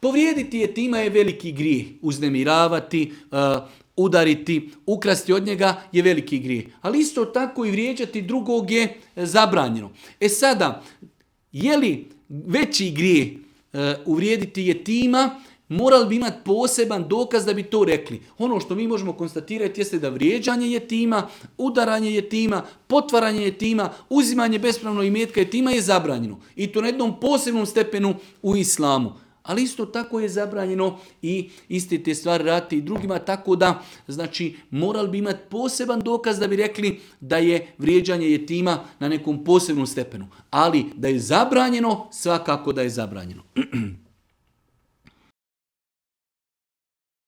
Povrijediti jetima je veliki grijeh. Uznemiravati, udariti, ukrasti od njega je veliki grijeh. Ali isto tako i vrijeđati drugog je zabranjeno. Sada, je li veći grijeh uvrijediti jetima, morali bi imati poseban dokaz da bi to rekli. Ono što mi možemo konstatirati jeste da vrijeđanje jetima, udaranje jetima, potvaranje jetima, uzimanje bespravnog imetka jetima je zabranjeno. I to na jednom posebnom stepenu u islamu. Ali isto tako je zabranjeno i iste te stvari raditi i drugima, tako da, znači, morali bi imati poseban dokaz da bi rekli da je vrijeđanje jetima na nekom posebnom stepenu. Ali da je zabranjeno, svakako da je zabranjeno.